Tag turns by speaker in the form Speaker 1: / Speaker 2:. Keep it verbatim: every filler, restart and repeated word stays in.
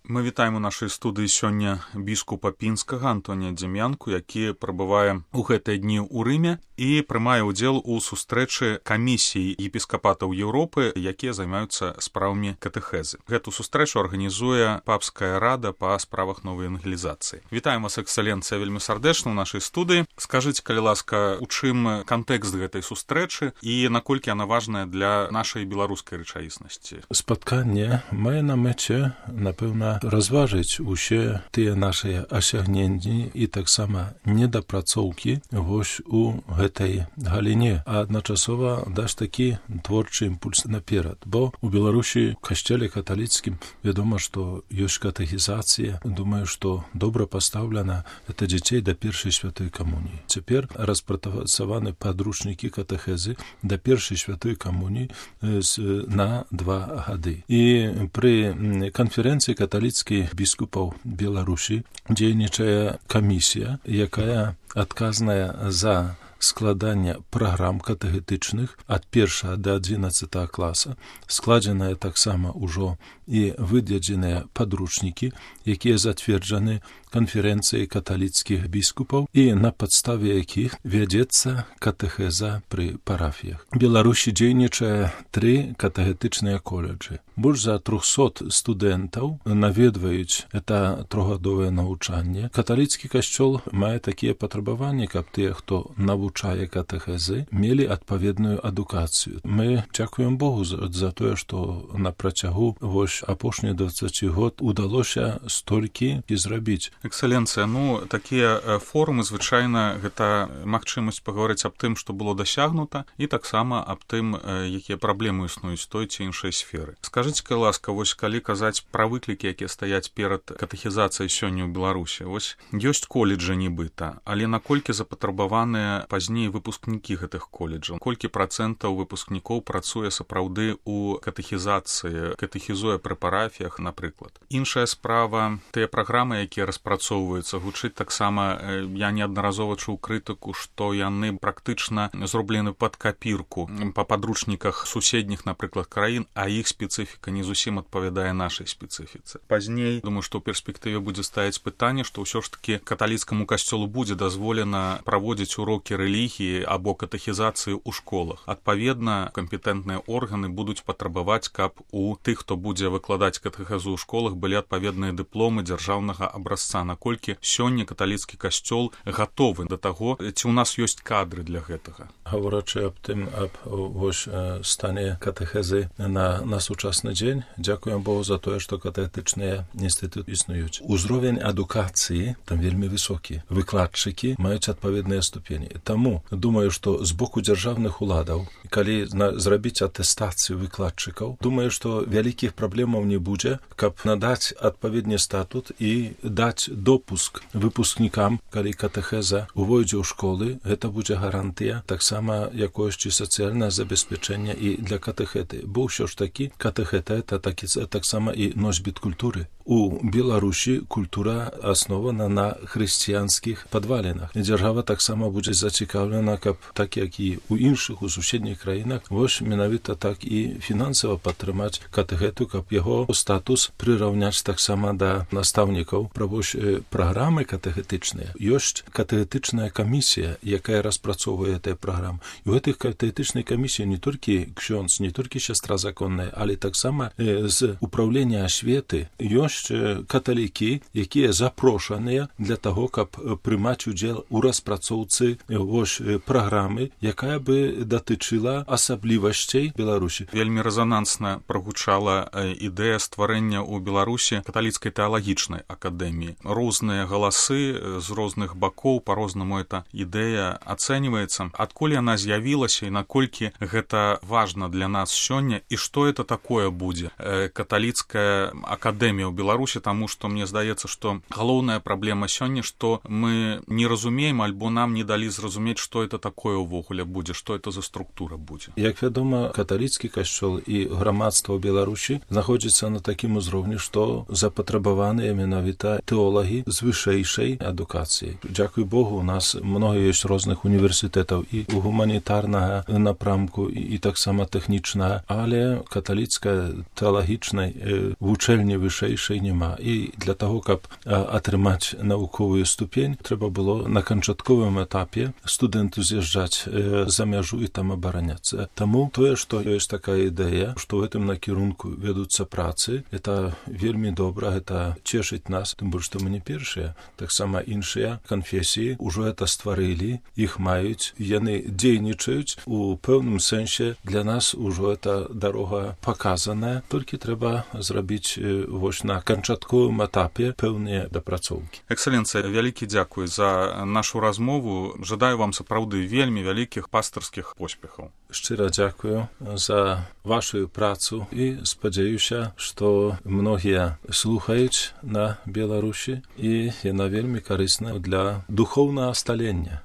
Speaker 1: Мы вітаем у нашай студыі сёння біскупа Пінскага Антонія Дзем'янку, які прабывае ў гэтыя дні ў Рыме і прымае ўдзел у сустрэчы камісій епіскапатаў Еўропы, якія займаюцца справамі катэхезы. Гэту сустрэчу арганізуе папская рада па справах новай евангелізацыі. Вітаем вас, эксцэленцыя, вельмі сардэчна ў нашай студыі. Скажыце, калі ласка, у чым кантэкст гэтай сустрэчы і наколькі яна важная для нашай беларускай рэчаіснасці?
Speaker 2: Спатканне мае на мэце, напэўна, разважыць усе тыя нашыя асягненні і таксама недапрацоўкі вось у гэтай галіне, а адначасова дасць такі творчы імпульс наперад. Бо у Беларусі, касцёле каталіцкім, вядома, што ёсць катэхізацыя. Думаю, што добра пастаўлена это дзяцей да першай святой камуніі. Цяпер распрацаваны падручнікі катэхезы да першай святой камуніі на два гады. І пры канферэнцыі каталіцкіх біскупаў Беларусі дзейнічае камісія, якая адказная за складання праграм катэхетычных ад першага да адзінаццатага класа, складзеныя таксама ўжо і выдадзеныя падручнікі, якія зацверджаны канферэнцыяй каталіцкіх біскупаў і на падставе якіх вядзецца катэхеза пры парафіях. У Беларусі дзейнічае тры катэхетычныя коледжы. Больш за трохсот студэнтаў наведваюць это трохгадовае навучанне. Каталіцкі касцёл мае такія патрабаванні, каб тыя, хто навучае катэхезы, мелі адпаведную адукацыю. Мы дзякуем Богу за, за тое, што на працягу вось апошні дваццаць год удалося столькі і зрабіць.
Speaker 1: Эксцэленцыя, ну, такія форумы, звычайна, гэта магчымасць пагаварыць аб тым, што было дасягнута, і таксама аб тым, якія праблемы існуюць той ці іншай сферы. Скажыце, калі ласка, вось калі казаць пра выклікі, якія стаяць перад катэхізацыяй сёння ў Беларусі, вось ёсць коледжы нібыта, але наколькі запатрабаваныя пазней выпускнікі гэтых коледжаў? Колькі працэнтаў выпускнікоў працуе сапраўды ў катэхізацыі, катэхізуе пры парафіях, напрыклад? Іншая справа, тыя праграмы, якія распрацоўваюцца, гучыць таксама, я неаднаразова чуў крытыку, што яны практычна зроблены пад капірку па падручніках суседніх, напрыклад, краін, а іх спецыфіка не зусім адпавядае нашай спецыфіцы. Пазней, думаю, што ў перспектыве будзе стаяць пытанне, што ўсё ж такі каталіцкаму касцёлу будзе дазволена праводзіць урокі рэлігіі або катэхізацыі ў школах. Адпаведна, кампетэнтныя органы будуць патрабаваць, каб у тых, хто будзе выкладаць катэхезу ў школах, былі адпаведныя дыпломы дзяржаўнага абразца. Наколькі сёння каталіцкі касцёл гатовы да таго, ці ў нас ёсць кадры для гэтага?
Speaker 2: Гаворачы аб тым, аб вось стане катэхезы на, на сучасны дзень, дзякуем Богу за тое, што катэхетычныя інстытуты існуюць. Узровень адукацыі там вельмі высокі. Выкладчыкі маюць адпаведныя ступені. Таму думаю, што з боку дзяржаўных уладаў, калі на, зрабіць атэстацыю выкладчыкаў, думаю, што вялікіх праблемаў не будзе, каб надаць адпаведны статут і даць допуск выпускнікам, калі катэхеза увойдзе ў школы, гэта будзе гарантыя таксама якосці сацыяльнае забеспячэння і для катэхеты. Бо ўсё ж такі катэхета это такі, таксама і носьбіт культуры. У Беларусі культура аснована на хрысціянскіх падвалінах. Дзяржава таксама будзе зацікаўлена, каб так як і ў іншых, у суседніх краінах, вось менавіта так і фінансава падтрымаць катэхету, каб яго статус прыраўняць таксама да настаўнікаў. Пра вось праграмы катэхетычныя. Ёсць катэхетычная камісія, якая распрацоўвае гэтыя праграмы. І ў гэтых катэхетычнай камісіі не толькі ксёндз, не толькі сястра законная, але таксама з управлення асветы ёсць каталікі, якія запрошаныя для таго, каб прымаць удзел у распрацоўцы вось праграмы, якая бы датычыла асаблівасцей Беларусі.
Speaker 1: Вельмі рэзанансна прагучала ідэя стварэння ў Беларусі каталіцкай тэалагічнай акадэміі. Розныя галасы з розных бакоў, па-рознаму эта ідэя ацэньваецца. Адкуль яна з'явілася і наколькі гэта важна для нас сёння, і што это такое будзе? Каталіцкая акадэмія ў Беларусі, таму што мне здаецца, што галоўная праблема сёння, што мы не разумеем альбо нам не далі зразумець, зразумець, што это такое ўвогуле будзе, што это за структура будзе.
Speaker 2: Як вядома, каталіцкі касцёл і грамадства ў Беларусі знаходзіцца на такім узроўні, што запатрабаваныя менавіта тэолагі з вышэйшай адукацыяй. Дзякуй Богу, у нас много ёсць розных універсітэтаў і у гуманітарнага напрамку, і, і таксама тэхнічнага, але каталіцкая тэалагічнай э, вучэльні вышэйшай няма. І для таго, каб э, атрымаць навуковую ступень, трэба было на канчатковым этапе студэнту з'язджаць э, за мяжу і там абараняцца. Таму тое, што ёсць такая ідэя, што ў гэтым накірунку вядуцца працы, это вельмі добра, гэта цешыць нас, тым больш, што мы не першыя. Таксама іншыя канфесіі ўжо это стварылі, іх маюць, яны дзейнічаюць, у пэўным сэнсе для нас ужо эта дарога паказаная, толькі трэба зрабіць э, вось на канчатковым этапе пэўныя дапрацоўкі.
Speaker 1: Экселенцыя, вялікі дзякуй за нашу размову. Жадаю вам сапраўды вельмі вялікіх пастырскіх поспехаў.
Speaker 2: Шчыра дзякую за вашу працу і спадзяюся, што многія слухаюць на Беларусі і яна вельмі карысна для духоўнага сталення.